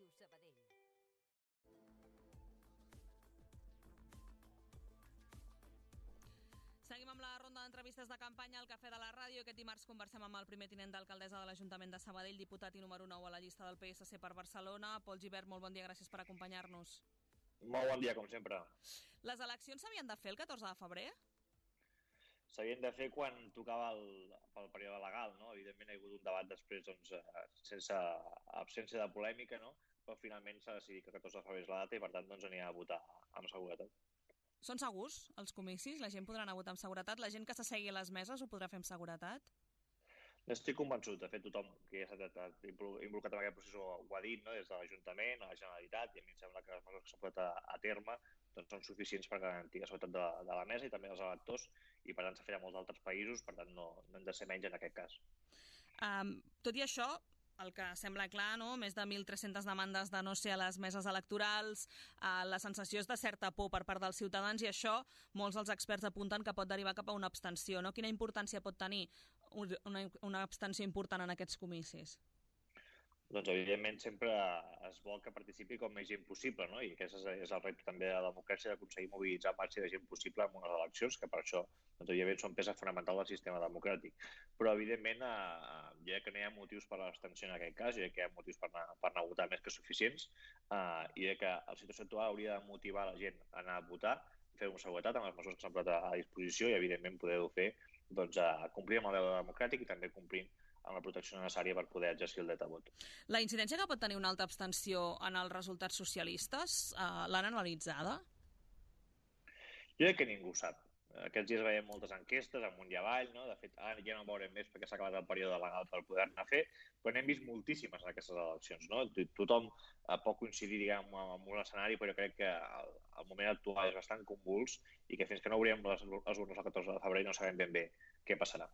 Ràdio Sabadell. Seguim amb la ronda d'entrevistes de campanya al Cafè de la Ràdio. Aquest dimarts conversem amb el primer tinent d'alcaldessa de l'Ajuntament de Sabadell, diputat i número 9 a la llista del PSC per Barcelona. Pol Gibert, molt bon dia, gràcies per acompanyar-nos. Molt bon dia, com sempre. Les eleccions s'havien de fer el 14 de febrer? S'havien de fer quan tocava pel període legal, no? Evidentment hi ha hagut un debat després sense absència de polèmica, no? Però finalment s'ha decidit que el 14 de febrer és la data i per tant anirem a votar amb seguretat. Són segurs els comicis? La gent podrà anar a votar amb seguretat? La gent que s'assegui a les meses ho podrà fer amb seguretat? N'estic convençut. De fet, tothom que ja s'ha estat involucrat en aquest procés ho ha dit, no? Des de l'Ajuntament a la Generalitat, i a mi em sembla que les mesures que s'han posat a terme són suficients per garantir la seguretat de la mesa i també dels electors, i per tant s'ha fet a molts altres països, per tant no hem de ser menys en aquest cas. Tot i això, el que sembla clar, no? Més de 1.300 demandes de no ser a les meses electorals, la sensació és de certa por per part dels ciutadans i això molts dels experts apunten que pot derivar cap a una abstenció, no? Quina importància pot tenir una abstenció important en aquests comicis? Doncs, evidentment, sempre es vol que participi com més gent possible, no? I aquest és el repte també de la democràcia, d'aconseguir mobilitzar el màxim de gent possible en unes eleccions, que per això, evidentment, són peça fonamental del sistema democràtic. Però, evidentment, jo crec que no hi ha motius per a l'abstenció en aquest cas, jo crec que hi ha motius per anar a votar més que suficients, i crec que la situació actual hauria de motivar la gent a anar a votar, fer-ho amb seguretat, amb les mesures que s'han posat a disposició, i, evidentment, poder-ho fer complir amb el deure democràtic i també complint amb la protecció necessària per poder exercir el dret a vot. La incidència que pot tenir una alta abstenció en els resultats socialistes, l'han analitzada? Jo crec que ningú ho sap. Aquests dies veiem moltes enquestes amunt i avall, no? De fet, ara ja no en veurem més perquè s'ha acabat el període legal per poder-ne fer, però n'hem vist moltíssimes en aquestes eleccions, no? Tothom pot coincidir, diguem, amb un escenari, però jo crec que el moment actual és bastant convuls i que fins que no obrirem les urnes el 14 de febrer no sabem ben bé què passarà.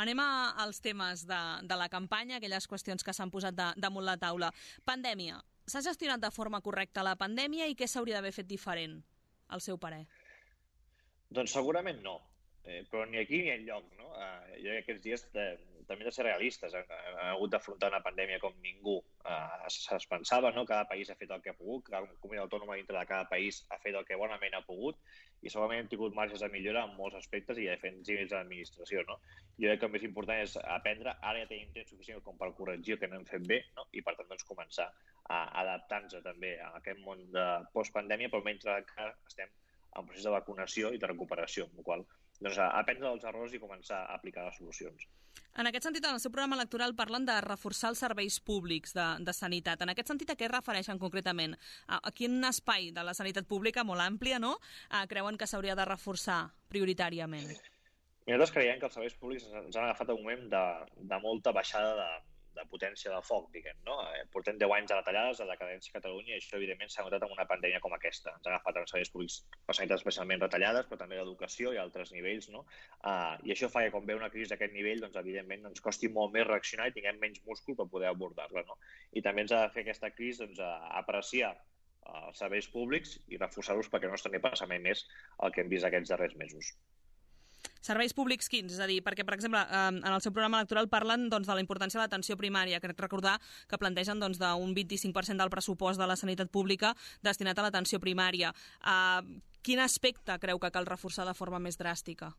Anem als temes de la campanya, aquelles qüestions que s'han posat damunt la taula. Pandèmia. S'ha gestionat de forma correcta la pandèmia i què s'hauria d'haver fet diferent, al seu parer? Doncs segurament no, però ni aquí ni enlloc, no? Jo crec que aquests dies també hem de ser realistes. Hem hagut d'afrontar una pandèmia com ningú es pensava, no? Cada país ha fet el que ha pogut, cada comunitat autònoma dintre de cada país ha fet el que bonament ha pogut i segurament hem tingut marges de millora en molts aspectes i diferents nivells d'administració, no? Jo crec que el més important és aprendre, ara ja tenim temps suficient com per corregir el que no hem fet bé, no? I per tant començar a adaptar-nos també a aquest món de postpandèmia, però mentre encara estem en procés de vacunació i de recuperació, amb la qual cosa aprendre dels errors i començar a aplicar les solucions. En aquest sentit, en el seu programa electoral parlen de reforçar els serveis públics de sanitat. En aquest sentit, a què es refereixen concretament? A quin espai de la sanitat pública, molt àmplia, no?, creuen que s'hauria de reforçar prioritàriament? Nosaltres creiem que els serveis públics ens han agafat un moment de molta baixada de potència de foc, diguem, no? Portem 10 anys de retallades, de decadència a Catalunya, i això, evidentment, s'ha notat en una pandèmia com aquesta. Ens ha agafat els serveis públics, la sanitat especialment retallades, però també l'educació i altres nivells, no? I això fa que, quan ve una crisi d'aquest nivell, doncs, evidentment, ens costi molt més reaccionar i tinguem menys múscul per poder abordar-la, no? I també ens ha de fer aquesta crisi, doncs, apreciar els serveis públics i reforçar-los perquè no ens torni a passar mai més el que hem vist aquests darrers mesos. Serveis públics quins? És a dir, perquè, per exemple, en el seu programa electoral parlen de la importància de l'atenció primària. Crec recordar que plantegen d'un 25% del pressupost de la sanitat pública destinat a l'atenció primària. Quin aspecte creu que cal reforçar de forma més dràstica?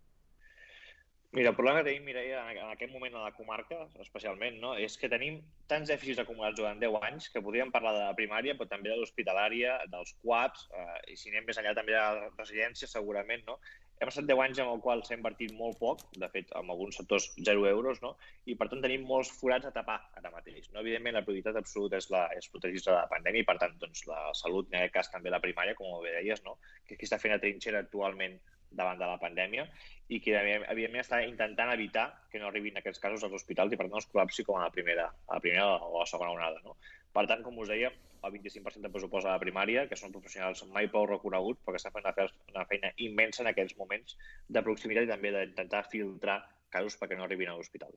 Mira, el problema que tenim, Mireia, en aquest moment a la comarca, especialment, no, és que tenim tants dèficits acumulats durant 10 anys que podríem parlar de la primària, però també de l'hospitalària, dels CUAPs, i si anem més enllà també de la residència, segurament, no? Hem estat 10 anys en el qual s'ha invertit molt poc, de fet, en alguns sectors 0 euros, no? I per tant tenim molts forats a tapar ara mateix. No? Evidentment, la prioritat absoluta és protegir-se de la pandèmia i, per tant, doncs, la salut, en aquest cas també la primària, com bé deies, no? Que aquí està fent a trinxera actualment davant de la pandèmia i que, evidentment, està intentant evitar que no arribin aquests casos als hospitals i, per tant, es col·lapsi com a la primera o a la segona onada, no? Per tant, com us deia, el 25% de pressupost a la primària, que són professionals mai prou reconeguts, perquè estan fent una feina immensa en aquests moments de proximitat i també d'intentar filtrar casos perquè no arribin a l'hospital.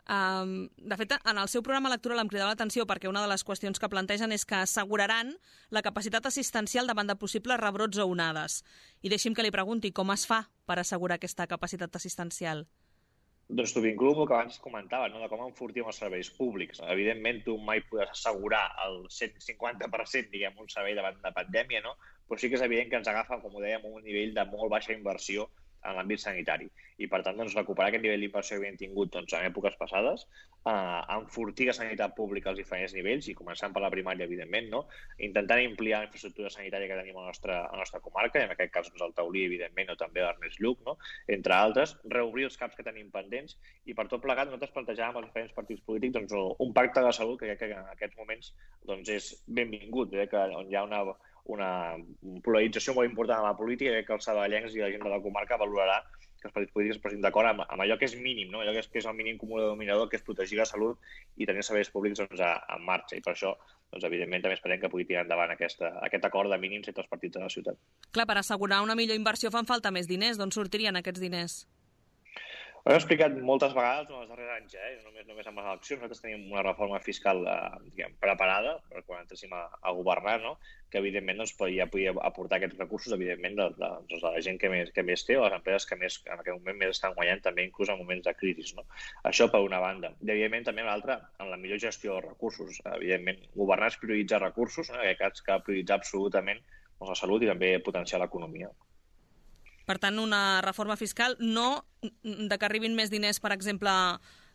De fet, en el seu programa electoral em cridava l'atenció perquè una de les qüestions que plantegen és que asseguraran la capacitat assistencial davant de possibles rebrots o onades. I deixi'm que li pregunti com es fa per assegurar aquesta capacitat assistencial. Doncs t'ho vinculo amb el que abans comentava, no? De com enfortim els serveis públics. Evidentment, tu mai podràs assegurar el 150%, diguem, un servei davant de pandèmia, no? Però sí que és evident que ens agafa, com ho dèiem, un nivell de molt baixa inversió en l'àmbit sanitari. I, per tant, doncs, recuperar aquest nivell d'inversió que havíem tingut en èpoques passades, enfortir la sanitat pública als diferents nivells, i començant per la primària, evidentment, no? Intentant ampliar la infraestructura sanitària que tenim a la nostra comarca, i en aquest cas el Taulí, evidentment, o també l'Ernest Lluch, no? Entre altres, reobrir els CAPs que tenim pendents, i per tot plegat nosaltres plantejàvem als diferents partits polítics un pacte de salut que crec que en aquests moments és benvingut, que on hi ha una polarització molt important a la política, i crec que els saballencs i la gent de la comarca valorarà que els partits polítics es posin d'acord amb allò que és mínim, no? Allò que és el mínim comú denominador, que és protegir la salut i tenir serveis públics en marxa. I per això, evidentment, també esperem que pugui tirar endavant aquest acord de mínims entre els partits de la ciutat. Clar, per assegurar una millor inversió fan falta més diners. D'on sortirien aquests diners? Ho hem explicat moltes vegades en els darrers anys, només amb les eleccions. Nosaltres tenim una reforma fiscal preparada per quan entréssim a governar, no? Que evidentment ja podia aportar aquests recursos, evidentment, de la gent que més té, o les empreses que en aquest moment més estan guanyant, també inclús en moments de crisi, no? Això per una banda. I evidentment també l'altra, en la millor gestió dels recursos. Evidentment, governar és prioritzar recursos, no? En aquest cas cal prioritzar absolutament la salut i també potenciar l'economia. Per tant, una reforma fiscal, no de que arribin més diners, per exemple,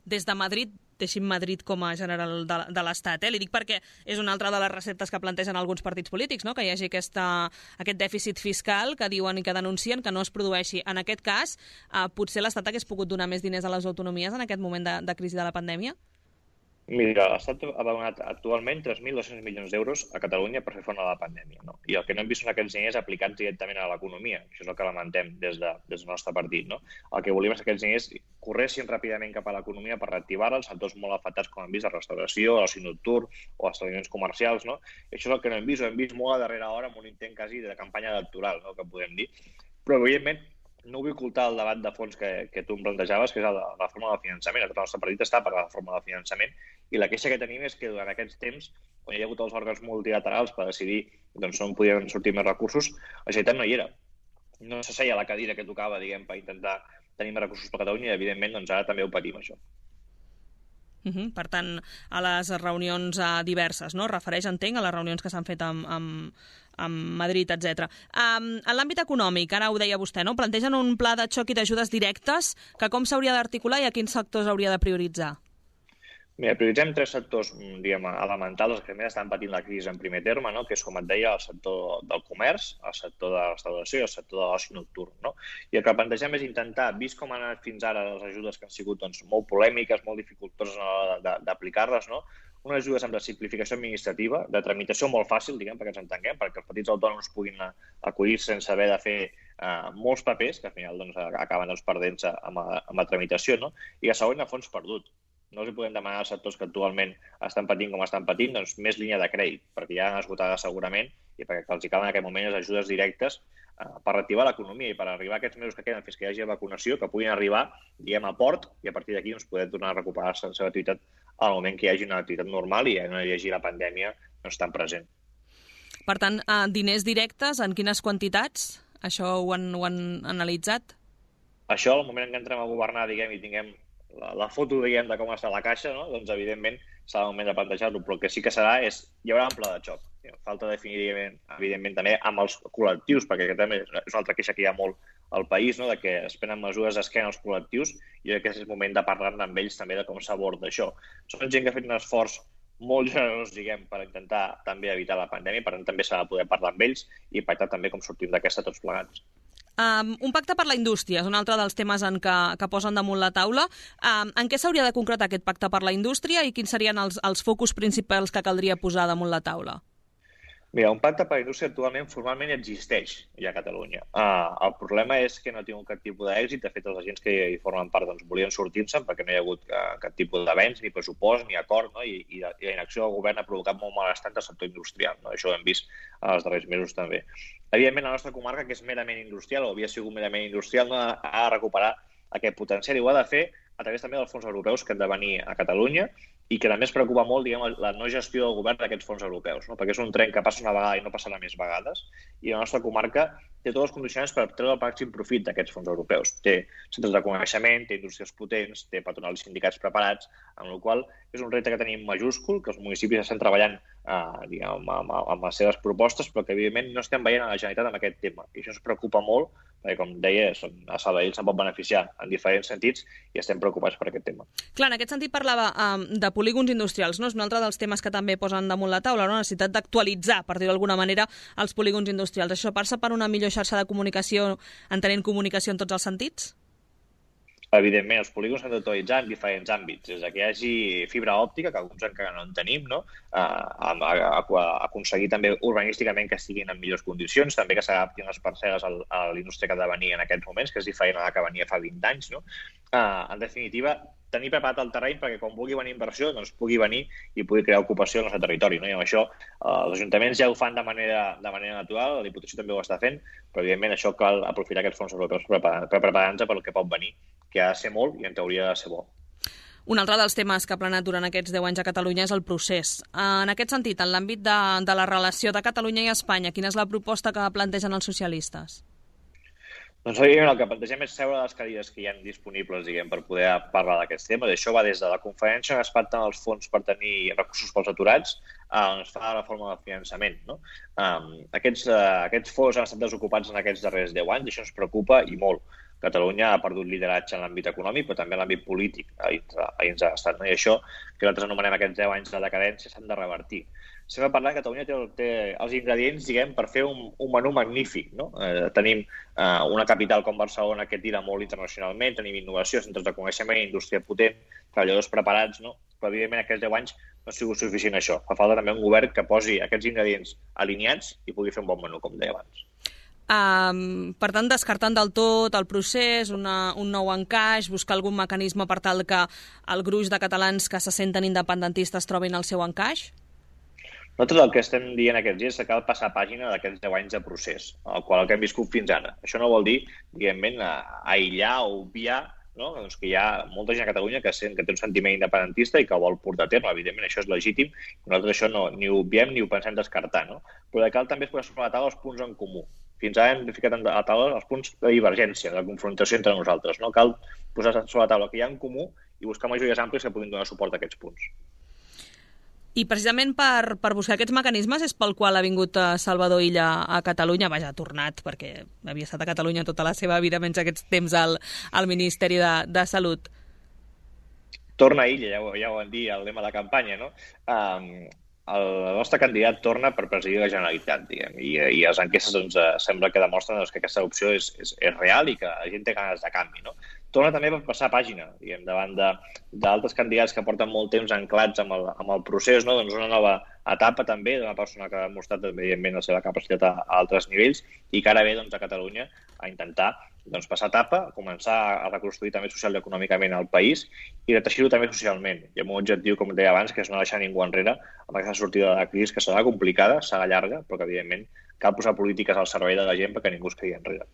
des de Madrid, deixin Madrid com a general de l'Estat. Li dic perquè és una altra de les receptes que plantegen alguns partits polítics, no? Que hi hagi aquest dèficit fiscal que diuen i que denuncien que no es produeixi. En aquest cas, potser l'Estat hagués pogut donar més diners a les autonomies en aquest moment de crisi de la pandèmia? Mira, l'Estat ha donat actualment 3.200 milions d'euros a Catalunya per fer front a la pandèmia, no? I el que no hem vist són aquests diners aplicats directament a l'economia. Això és el que lamentem des del nostre partit, no? El que volíem és que aquests diners corressin ràpidament cap a l'economia per reactivar-la, els sectors molt afectats, com hem vist, la restauració, l'oci nocturn o els establiments comercials, no? I això és el que no hem vist, ho hem vist molt a darrera hora amb un intent quasi de campanya electoral, no? Que podem dir. Però, evidentment, no vull ocultar el debat de fons que tu em plantejaves, que és la reforma del finançament. El nostre partit està per la reforma del finançament, i la queixa que tenim és que durant aquests temps, on hi ha hagut els òrgans multilaterals per decidir on podien sortir més recursos, la Generalitat no hi era. No s'asseia a la cadira que tocava, diguem, per intentar tenir més recursos per Catalunya, i evidentment ara també ho patim, això. Per tant, a les reunions diverses, no? Refereix, entenc, a les reunions que s'han fet amb Madrid, etc. En l'àmbit econòmic, ara ho deia vostè, no? Plantegen un pla de xoc i d'ajudes directes que com s'hauria d'articular i a quins sectors hauria de prioritzar? Mira, prioritzem 3 sectors, diguem, elementals, els que més estan patint la crisi en primer terme, no? Que és, com et deia, el sector del comerç, el sector de la restauració i el sector de l'oci nocturn, no? I el que plantegem és intentar, vist com han anat fins ara les ajudes que han sigut molt polèmiques, molt dificultoses a l'hora d'aplicar-les, no? Unes ajudes amb la simplificació administrativa, de tramitació molt fàcil, diguem, perquè ens entenguem, perquè els petits autònoms puguin acollir sense haver de fer molts papers, que al final acaben perdent-se amb la tramitació, no? I la segona, a fons perdut. No els podem demanar als sectors que actualment estan patint com estan patint, doncs més línia de crèdit, perquè ja han esgotat segurament, i perquè els hi calen en aquest moment les ajudes directes per reactivar l'economia i per arribar a aquests mesos que queden fins que hi hagi vacunació, que puguin arribar, diguem, a port, i a partir d'aquí poder tornar a recuperar-se la seva activitat al moment que hi hagi una activitat normal i no hi hagi la pandèmia tan present. Per tant, diners directes, en quines quantitats? Això ho han analitzat? Això, al moment en què entrem a governar, diguem, i tinguem la foto, diguem, de com està la caixa, no? Doncs, evidentment, serà el moment de plantejar-ho, però el que sí que serà és, hi haurà un pla de xoc. Falta definir, evidentment, també amb els col·lectius, perquè aquest també és una altra queixa que hi ha molt al país, no? De que es prenen mesures d'esquena als col·lectius, i crec que és el moment de parlar amb ells també de com s'aborda això. Són gent que ha fet un esforç molt generós, diguem, per intentar també evitar la pandèmia, per tant també s'ha de poder parlar amb ells i pactar també com sortim d'aquesta tots plegats. Un pacte per la indústria és un altre dels temes que posen damunt la taula. En què s'hauria de concretar aquest pacte per la indústria i quins serien els focus principals que caldria posar damunt la taula? Mira, un pacte per la indústria actualment formalment existeix ja a Catalunya. El problema és que no ha tingut cap tipus d'èxit. De fet, els agents que hi formen part volien sortir-se'n perquè no hi ha hagut cap tipus d'avenç, ni pressupost, ni acord, no? I la inacció del govern ha provocat molt malestar al sector industrial, no? Això ho hem vist els darrers mesos també. Evidentment, la nostra comarca, que és merament industrial, o havia sigut merament industrial, no ha de recuperar aquest potencial i ho ha de fer a través també dels fons europeus que han de venir a Catalunya i que també es preocupa molt, diguem, la no gestió del govern d'aquests fons europeus, no? Perquè és un tren que passa una vegada i no passarà més vegades, i la nostra comarca té tots els condicionants per treure el màxim profit d'aquests fons europeus. Té centres de coneixement, té indústries potents, té patronals i sindicats preparats, amb la qual és un repte que tenim majúscul, que els municipis estan treballant amb les seves propostes, però que evidentment no estem veient a la Generalitat amb aquest tema. I això ens preocupa molt, perquè com deia, a Sabadell se'n pot beneficiar en diferents sentits i estem preocupats per aquest tema. Clar, en aquest sentit parlava de polígons industrials, no? És un altre dels temes que també posen damunt la taula, la necessitat d'actualitzar, per dir-ho d'alguna manera, els polígons industrials. Això passa per una millor xarxa de comunicació, entenent comunicació en tots els sentits? Evidentment, els polígons s'han d'actualitzar en diferents àmbits. Des que hi hagi fibra òptica, que alguns encara no en tenim, no? Aconseguir també urbanísticament que estiguin en millors condicions, també que s'adaptin les parcel·les a l'indústria que ha de venir en aquests moments, que és diferent a la que venia fa 20 anys. No? En definitiva, tenir preparat el terreny perquè quan vulgui venir inversió doncs pugui venir i pugui crear ocupació al nostre territori. No? I amb això els ajuntaments ja ho fan de manera natural, la Diputació també ho està fent, però evidentment això cal aprofitar aquests fons europeus per preparar-nos pel que pot venir, que ha de ser molt i en teoria ha de ser bo. Un altre dels temes que ha planat durant aquests 10 anys a Catalunya és el procés. En aquest sentit, en l'àmbit de la relació de Catalunya i Espanya, quina és la proposta que plantegen els socialistes? Doncs el que plantegem és seure les cadires que hi ha disponibles per poder parlar d'aquests temes. Això va des de la conferència on es pacten els fons per tenir recursos pels aturats on es fa la reforma del finançament. No? Aquests fons han estat desocupats en aquests darrers 10 anys i això ens preocupa i molt. Catalunya ha perdut lideratge en l'àmbit econòmic, però també en l'àmbit polític a dins de l'Estat. No? I això, que nosaltres anomenem aquests 10 anys de decadència, s'han de revertir. Sempre parlant que Catalunya té els ingredients, per fer un menú magnífic. No? Tenim una capital com Barcelona que tira molt internacionalment, tenim innovació, centres de coneixement, indústria potent, treballadors preparats, no? Però evidentment aquests 10 anys no ha sigut suficient això. Fa falta també un govern que posi aquests ingredients alineats i pugui fer un bon menú, com deia abans. Per tant, descartant del tot el procés, un nou encaix, buscar algun mecanisme per tal que el gruix de catalans que se senten independentistes trobin el seu encaix? Nosaltres el que estem dient aquests dies és que cal passar pàgina d'aquests 10 anys de procés, el que hem viscut fins ara. Això no vol dir, aïllar o obviar, no? Doncs que hi ha molta gent a Catalunya que té un sentiment independentista i que ho vol portar a terme. Evidentment, això és legítim. Nosaltres això ni ho obviem ni ho pensem descartar. No? Però cal també posar sobre la taula els punts en comú. Fins ara hem ficat a la taula els punts de divergència, de confrontació entre nosaltres. No? Cal posar sobre la taula que hi ha en comú i buscar majories àmplies que puguin donar suport a aquests punts. I precisament per buscar aquests mecanismes és pel qual ha vingut Salvador Illa a Catalunya. Vaja, ha tornat, perquè havia estat a Catalunya tota la seva vida, menys aquests temps al Ministeri de Salut. Torna Illa, ja ho vam dir, el lema de campanya, no? El nostre candidat torna per presidir la Generalitat, i les enquestes sembla que demostren que aquesta opció és real i que la gent té ganes de canvi, no? Torna també per passar pàgina, davant d'altres candidats que porten molt temps anclats amb el procés, no? Doncs una nova etapa també d'una persona que ha demostrat evidentment la seva capacitat a altres nivells i que ara ve a Catalunya a intentar passar etapa, començar a reconstruir també social i econòmicament el país i reteixir-ho també socialment. I amb un objectiu, com deia abans, que és no deixar ningú enrere amb aquesta sortida de la crisi, que serà complicada, serà llarga, però que evidentment cal posar polítiques al servei de la gent perquè ningú es quedi enrere.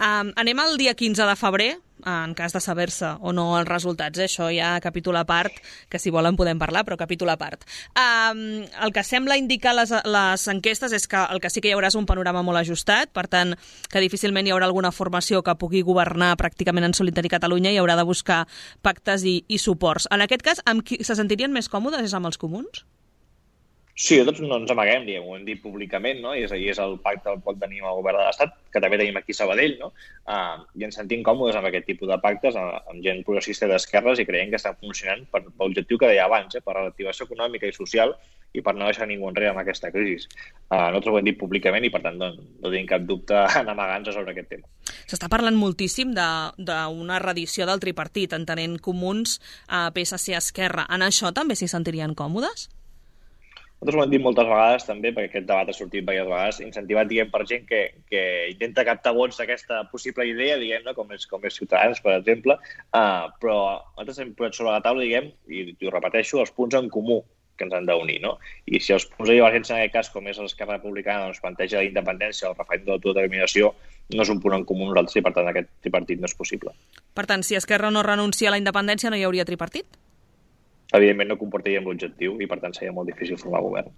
Anem al dia 15 de febrer, en cas de saber-se o no els resultats. Això ja capítol a part, que si volen podem parlar, però capítol a part. El que sembla indicar les enquestes és que el que sí que hi haurà és un panorama molt ajustat, per tant, que difícilment hi haurà alguna formació que pugui governar pràcticament en solitari Catalunya i haurà de buscar pactes i suports. En aquest cas, amb qui se sentirien més còmodes és amb els comuns? Sí, tots no ens amaguem, ho hem dit públicament, no? I és el pacte que pot tenir amb el govern de l'Estat, que també tenim aquí a Sabadell, no? I ens sentim còmodes amb aquest tipus de pactes, amb gent progressista d'esquerres i creiem que estan funcionant per l'objectiu que deia abans, per la reactivació econòmica i social i per no deixar ningú enrere amb aquesta crisi. Nosaltres ho hem dit públicament i, per tant, no tenim cap dubte en amagar-nos sobre aquest tema. S'està parlant moltíssim d'una reedició del tripartit, entenent comuns, PSC, Esquerra. En això també s'hi sentirien còmodes? Nosaltres ho hem dit moltes vegades també, perquè aquest debat ha sortit diverses vegades, incentivat per gent que intenta captar vots d'aquesta possible idea, com és Ciutadans, per exemple, però nosaltres hem posat sobre la taula, i ho repeteixo, els punts en comú que ens han d'unir, no? I si els punts de divergència en aquest cas, com és l'Esquerra Republicana, planteja la independència o el referèndum d'autodeterminació, no és un punt en comú nosaltres i, per tant, aquest tripartit no és possible. Per tant, si Esquerra no renuncia a la independència, no hi hauria tripartit? evidentment no comportaríem l'objectiu i, per tant, seria molt difícil formar govern.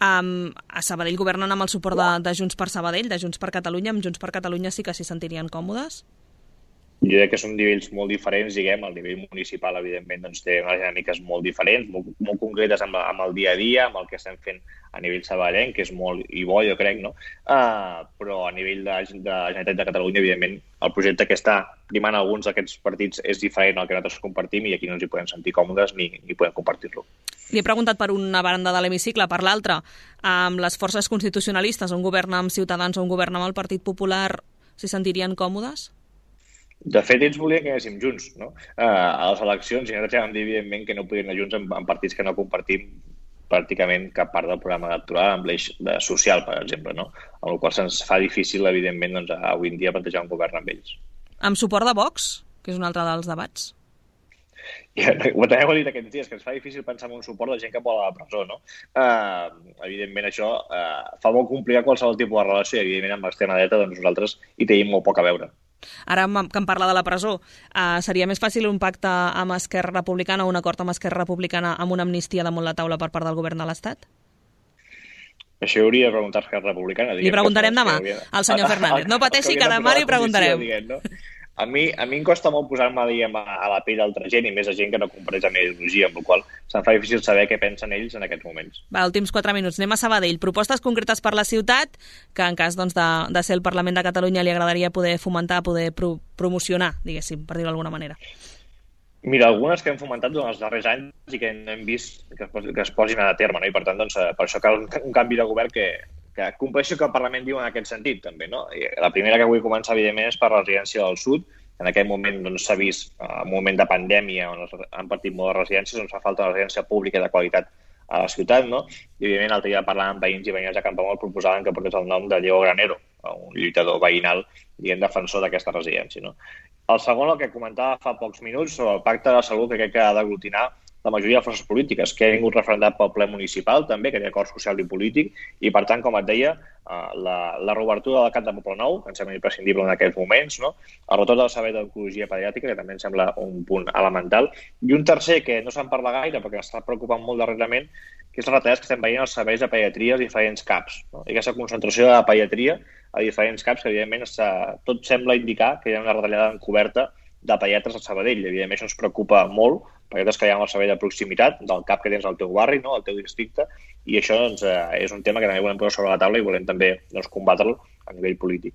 A Sabadell governen amb el suport de Junts per Sabadell, de Junts per Catalunya. Amb Junts per Catalunya sí que s'hi sentirien còmodes? Jo crec que són nivells molt diferents, diguem. El nivell municipal, evidentment, doncs, té unes dinàmiques molt diferents, molt concretes amb el dia a dia, amb el que estem fent a nivell sabadellenc, que és molt i bo, jo crec, no? Però a nivell de Generalitat de Catalunya, evidentment, el projecte que està primant alguns d'aquests partits és diferent al que nosaltres compartim i aquí no ens hi podem sentir còmodes ni podem compartir-lo. Li he preguntat per una banda de l'hemicicle, per l'altra, amb les forces constitucionalistes, on governa amb Ciutadans o on governa amb el Partit Popular, s'hi sentirien còmodes? De fet, ells volien que anéssim junts, no? A les eleccions, i nosaltres ja vam dir, evidentment, que no podien anar junts en partits que no compartim pràcticament cap part del programa electoral, amb l'eix social, per exemple, no? Amb la qual cosa se'ns fa difícil, evidentment, doncs, avui en dia plantejar un govern amb ells. Amb suport de Vox, que és un altre dels debats? També ho he dit aquests dies, que ens fa difícil pensar en un suport de gent que vol a la presó, no? Evidentment, això fa molt complicat qualsevol tipus de relació i, evidentment, amb l'extrema dreta, doncs nosaltres hi tenim molt poc a veure. Ara que em parla de la presó, seria més fàcil un pacte amb Esquerra Republicana o un acord amb Esquerra Republicana amb una amnistia damunt la taula per part del govern de l'Estat? Això hauria de preguntar a Esquerra Republicana. Li preguntarem demà al senyor Fernández. No pateixi, que demà li preguntarem. A mi em costa molt posar-me a la pell d'altra gent i més a gent que no compareix la meva ideologia, amb la qual se'm fa difícil saber què pensen ells en aquests moments. Va, últims 4 minuts. Anem a Sabadell. Propostes concretes per la ciutat que en cas doncs, de ser el Parlament de Catalunya li agradaria poder fomentar, poder promocionar, diguéssim, per dir-ho d'alguna manera. Mira, algunes que hem fomentat durant els darrers anys i que hem vist que es posin a terme, no? I per tant, doncs, per això cal un canvi de govern que compleixi el que el Parlament diu en aquest sentit, també, no? I la primera que vull començar, evidentment, és per la residència del sud. En aquest moment s'ha vist, en un moment de pandèmia, on han partit molt de residències, on fa falta una residència pública de qualitat a la ciutat, no? I, evidentment, l'altre dia parlant amb veïns i veïnes de Campoamor proposaven que portés el nom de Diego Granero, un lluitador veïnal, diguem, defensor d'aquesta residència, no? El segon, el que comentava fa pocs minuts, sobre el pacte de salut, que crec que ha d'aglutinar la majoria de forces polítiques, que ha vingut referendat pel ple municipal, també, que té acord social i polític, i, per tant, com et deia, la reobertura del CAT de Poblenou, que ens sembla imprescindible en aquests moments, no? El retorn del servei d'oncologia pediàtrica, que també em sembla un punt elemental, i un tercer, que no se'n parla gaire, perquè m'està preocupant molt darrerament, que és les retallades que estem veient als serveis de pediatria als diferents CAPs, no? I aquesta concentració de pediatria a diferents CAPs, que, evidentment, tot sembla indicar que hi ha una retallada encoberta de pediatres a Sabadell. Evidentment, això ens preocupa molt, perquè és que hi ha el servei de proximitat del CAP que tens al teu barri, no? Al teu districte, i això doncs, és un tema que també volem posar sobre la taula i volem també doncs, combatre-lo a nivell polític.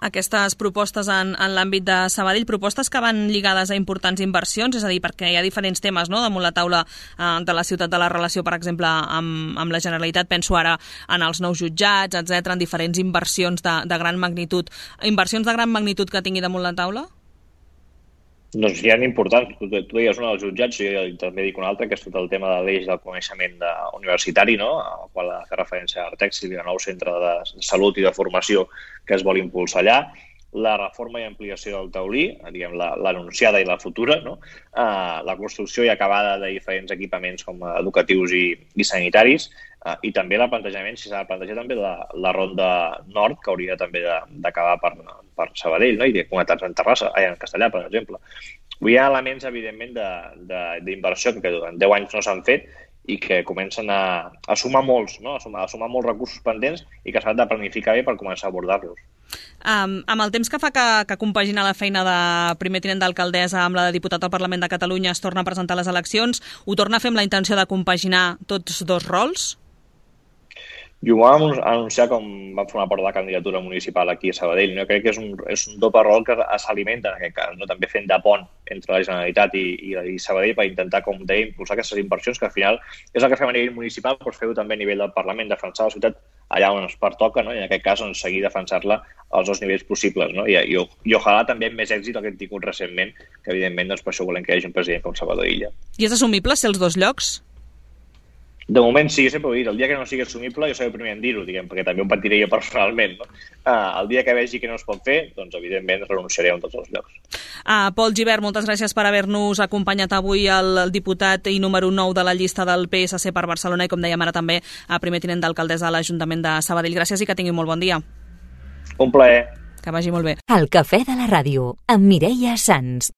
Aquestes propostes en l'àmbit de Sabadell, propostes que van lligades a importants inversions, és a dir, perquè hi ha diferents temes, no?, damunt la taula de la ciutat, de la relació, per exemple, amb la Generalitat, penso ara en els nous jutjats, etc., en diferents inversions de gran magnitud. Inversions de gran magnitud que tingui damunt la taula? Doncs hi ha importants. Tu deies una dels jutjats, jo també dic una altra, que és tot el tema de l'eix del coneixement universitari, no?, al qual ha fet referència a Artex i el nou centre de salut i de formació que es vol impulsar allà. La reforma i ampliació del taulí, diguem, l'anunciada i la futura, no? La construcció i acabada de diferents equipaments com educatius i sanitaris, i també el plantejament, si s'ha de plantejar també la ronda nord, que hauria també d'acabar per Sabadell, no? I de connectar-se en Terrassa, en Castellà, per exemple. Hi ha elements, evidentment, d'inversió que en 10 anys no s'han fet i que comencen a sumar molts, no? A sumar molts recursos pendents i que s'han de planificar bé per començar a abordar-los. Amb el temps que fa que compagina la feina de primer tinent d'alcaldessa amb la de diputat al Parlament de Catalunya, es torna a presentar les eleccions, ho torna a fer amb la intenció de compaginar tots dos rols? I ho vam anunciar com vam formar part de la candidatura municipal aquí a Sabadell. Jo crec que és un doble rol que s'alimenta en aquest cas, no? També fent de pont entre la Generalitat i Sabadell per intentar, com deia, impulsar aquestes inversions, que al final és el que fem a nivell municipal, però fer-ho també a nivell del Parlament, defensar la ciutat allà on ens pertoca, no? I en aquest cas doncs, seguir defensar-la als dos nivells possibles, no? I ojalà també amb més èxit el que hem tingut recentment, que evidentment doncs, per això volem que hi hagi un president com Salvador Illa. I és assumible ser els dos llocs? De moment sí, jo sempre ho he dit, el dia que no sigui assumible jo seré el primer en dir-ho, diguem, perquè també ho patiré jo personalment, no? El dia que vegi que no es pot fer, doncs evidentment renunciaré a tots els llocs. Pol Gibert, moltes gràcies per haver-nos acompanyat avui el diputat i número 9 de la llista del PSC per Barcelona i, com dèiem ara, també a primer tinent d'alcaldessa de l'Ajuntament de Sabadell. Gràcies i que tingui molt bon dia. Un plaer. Que vagi molt bé. El Cafè de la Ràdio, amb Mireia Sans.